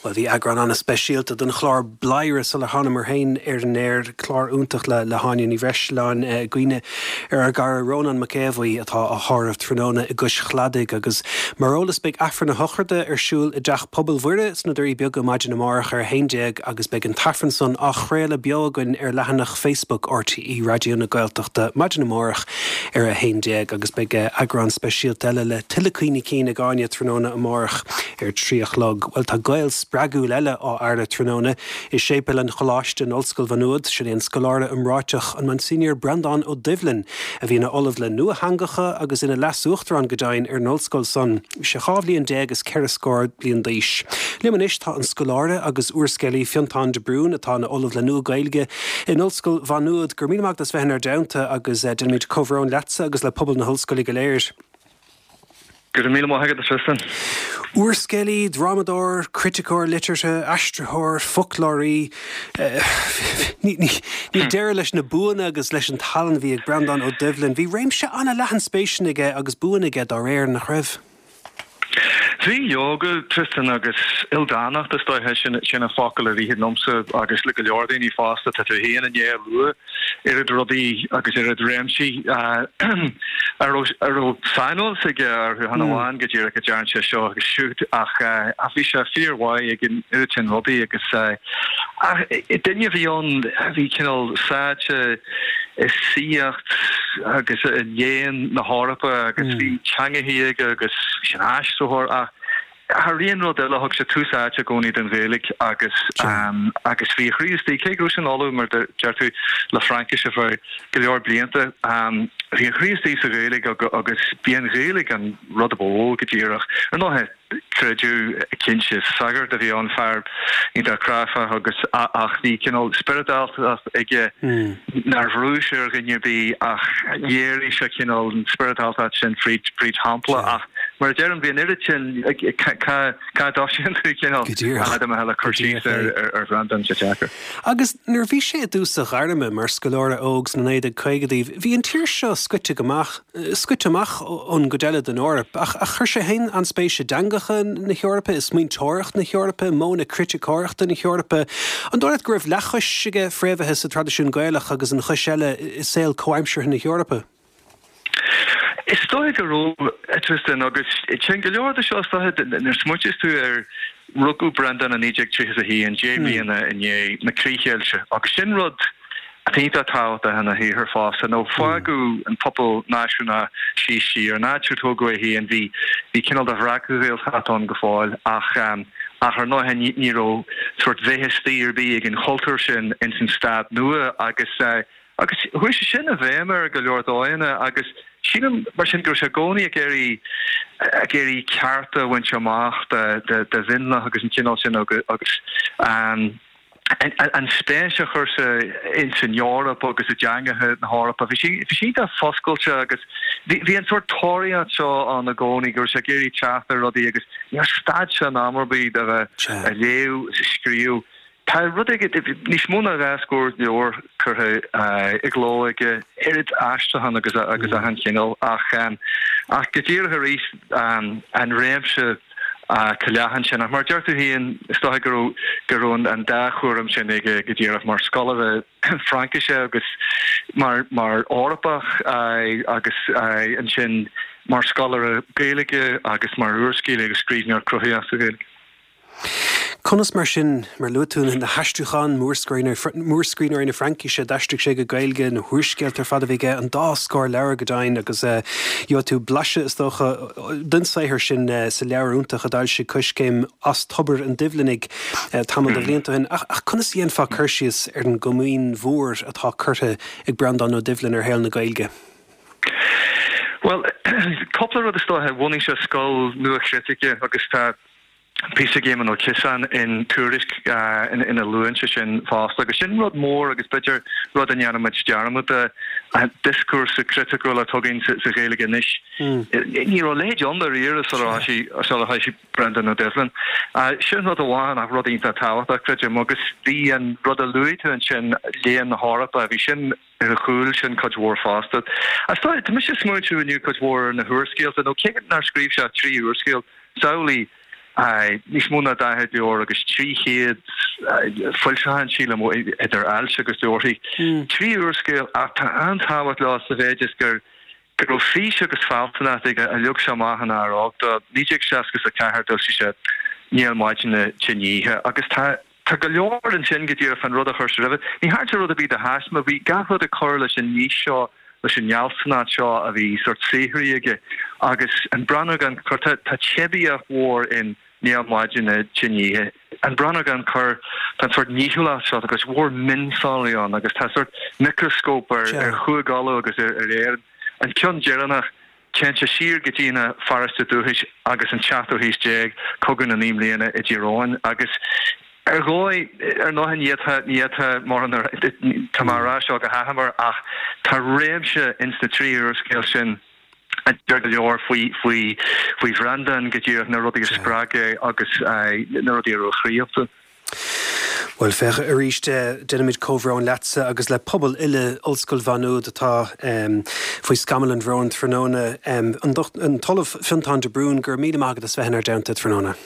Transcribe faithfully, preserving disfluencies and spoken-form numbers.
Bhuel, bhí eagrán an-speisialta den chlár Bladhaire sular thánamar féin ar an aer, clár iontach le le hÁine Ní Bhreisleáin, i gcuimhne ar ár gcara Rónán Mac Aodha Bhuí atá á thórramh tráthnóna i gCois Chladaigh agus mar eolas beidh Aifreann a shochraide ar siúl i dTeach Pobail Mhuire sna Doirí Beaga maidin amárach ar a haon déag agus beidh an t-aifreann san á chraoladh beo againn ar leathanach Facebook R T É Raidió na Gaeltachta maidin amárach ar a haon déag agus beidh eagrán speisialta eile le tuilleadh cuimhní cinn ag Áine tráthnóna amárach ar trí a chlog. Well tá Gael spreagúil eile á fhaire tráthnóna i séipéal an Choláiste in Ollscoil Mhá Nuad, sin é an scoláire iomráiteach an Monsignor Breandán Ó Doibhlin, a bhí ina ollamh le nuatheangacha agus ina leasuachtarán go deimhin ar an ollscoil san. Sé dhá bhliain déag is ceithre scór bliain d'aois. Liom anois tá an scoláire agus úrscéalaí Fionntán de Brún atá ina ollamh le Nua-Ghaeilge in Ollscoil Mhá Nuad. Go raibh míle maith agat as bheith inár dteannta agus eh, déanaimid comhbhrón leatsa agus le pobal na hollscoile go léir. Go raibh míle maith agat, Tristan. Úrscéalaí, drámadóir, criticeoir liteartha, aistritheoir, foclóirí, ní deireadh leis na buanna agus leis an tallann a bhí ag Breandán Ó Doibhlin. Bhí réimse an-leathan spéiseanna aige agus buanna aige dá réir nach raibh. Bhí leoga Tristan agus ildánacht is dóiche sin sin an focal a ritheann liomsa agus le go leor daoine fosta tá tú féin i ndiaidh lua oiread rudaí agus oiread réimsí a raibh saineolas aige orthu chan amháin go díreach go dearn sé seo agus siúd ach ach bhí sé fíormhaith ag an oiread sin rudaí agus duine a bhí ann a bhí cineál sáite i saíocht agus i léann na hEorpa agus bhí teangacha aige agus sin aistritheoir ach thar aon rud eile thug sé tús áite i gcónaí don Ghaeilge agus um, agus bhí chroí istigh cé go sin ollamh mar deir tú le Fraincis ar feadh go leor blianta um, bhí a chroí istigh sa Ghaeilge agus bhí an Ghaeilge an rud ab mhó go díreach. Ar ndóigh creideamh cinnte sagart a bhí ann fear iontach cráifeach agus ach bhí cineál spioradáltacht aige nár bhrúigh sé ar dhuine ar bith ach léirigh sé cineál an spioradáltacht sin fríd fríd shampla ach mar a deirim bhí an oiread sin cá cá dtosaíonn tú cineál le cur síos ar ar Bhreandán sé deacair. Agus nuair bhí sé i dtús a ghairme mar scoláire óg sna naoi déag caogaidí, bhí an tír seo scoite go amach scoite amach ón gcuid eile den Eoraip, ach ach chuir sé féin an-spéis i dteangacha na hEorpa i smaointeoireacht na hEorpa, modhanna criticeoireachta na hEorpa. An dóigh leat go raibh leathchois aige fréamhaithe sa traidisiún Gaelach agus an chois eile i saol comhaimseartha na hEorpa. Is dóigh go raibh Tristan agus sin go leor de seo nuair smaoiníos tú ar rugadh Breandán i naoi déag tríocha a haon deich mbliana i ndiaidh na críochdheighilte agus sin rud iontach tábhachtach ina shaothar fosta nó fágadh an pobal náisiúnach síos siar an áit ar tógadh é féin bhí bhí cineál de bhreac-Ghaeltacht ann go fóill ach um, ach ar ndóigh ní raibh sórt bheith istigh ar bith ag an chultúr sin ins an stát nua agus uh, agus chuaigh sé sin i bhfeidhm ar go leor dóigheanna agus sílim mar sin go raibh sé i gcónaí ag iarraidh ag iarraidh cearta a bhaint amach de de de mhionlach agus an cineál sin agus agus um, an, an spéis a chur sa in san Eoraip agus i dteangacha na hEorpa. Bhí sí bhí sí an-fhoscailte agus bhí an sórt tóraíocht seo ann i gcónaí gur sé ag iarraidh teacht ar rudaí agus níor stad sé in am ar bith de bheith ag léamh is scríobh. Tá rud aige níos mó ná dhá scór leabhar curtha i gcló aige oiread aistriúchán agus agus achan chineál ach um, ach go díreach arís um, an réimse uh, leathan sin ach mar deir tú féin is dóigh go raibh go raibh an dá chúram sin aige go díreach mar scoláire Fraincise agus mar mar Eorpach uh, agus uh, ansin mar scoláire Gaeilge agus mar úrscéalaí agus scríbhneoir cruthaitheach sa Ghaeilge. Conas mar sin mar luaigh tú na haistriúcháin mórscríbhneoirí na Fraincise d'aistrigh sé go Gaeilge na húrscéalta ar fad a bhí aige an dá scór leabhar go deimhin agus gheobhaidh tú blaiseadh is dócha den saothar sin sa leabhar iontach a d'fhoilsigh Coiscéim as Tobar an Doibhlinigh tamall de bhlianta ó shin ach ach conas a dhéanfá cur síos ar an gcomaoin mhór atá curtha ag Breandán Ó Doibhlin ar shaol na Gaeilge. Well, cúpla rud is dóiche bhunaigh sé scoil nua chritice agus tá píosa ag Éamon Ó Ciosáin in Tuairisc uh, in, ina luann sé sin fosta agus sin rud mór agus b'fhéidir rud a ndéanaimid dearmad de an dioscúrsa criticiúil atá againn sa, sa Ghaeilge anois. Mm. Ní raibh leithéid ann riamh sular thosaigh Breandán Ó Doibhlin. Uh, sin rud amháin ach rud iontach tábhachtach creidim agus bhí an rud a luaigh tú ansin léann na hEorpa, bhí sin ar a chúl sin cuid mhór fosta. As tá mise smaointiú inniu cuid mhór na húrscéalta nó cé nár scríobh sé trí úrscéal samhlaigh Níos mó ná daichead leabhar agus trí chéad foilseachán, sílim, idir ailt agus leabharthaí. Trí úrscéal ach tá an-tábhacht leo sa mhéid is gur go raibh fís agus fealsúnacht aige a leag sé amach ina fhear óg dó. naoi déag seasca a ceathair d'fhoilsigh sé Néal Maidine Tinn Oíche agus tá tá go leor ansin go díreach an rud a chuir sé roimhe. Ní thearn sé rud ar bith de thaisme, bhí gach rud ag cur leis an fhís seo, leis an fhealsúnacht seo a bhí sórt saothraithe aige agus An Brannán Gan Cor, tá tá teibíocht mhór in Néal Maidine Tinn Oíche. An Brannán Gan Cor, tá an sórt nithiúlacht seo, tá cuid mhór mionsonraí ann agus tá sórt micreascóp ar ar Chúige Uladh agus ar ar Éirinn. An ceann deireanach, téann sé siar go dtína pharóiste dúchais agus an tseachtú haois déag, Cogadh na Naoi mBliana i dTír Eoghain agus ar dhóigh, ar ndóigh ní fhéadfá, ní fhéadfá mórán a, tá mé á rá seo go hachomair ach tá réimse ins na trí úrscéal sin a deir go leor faoi, faoi, faoi Bhreandán go díreach, na rudaí a spreag é agus na rudaí a raibh a chroí iontu. Bhuel, féach, arís, déanaimid comhbhrón leatsa agus le pobal uile Ollscoil Mhá Nuad atá faoi scamall an bhróin tráthnóna. An tOllamh Fionntán de Brún, go raibh míle maith agat as bheith inár dteannta tráthnóna.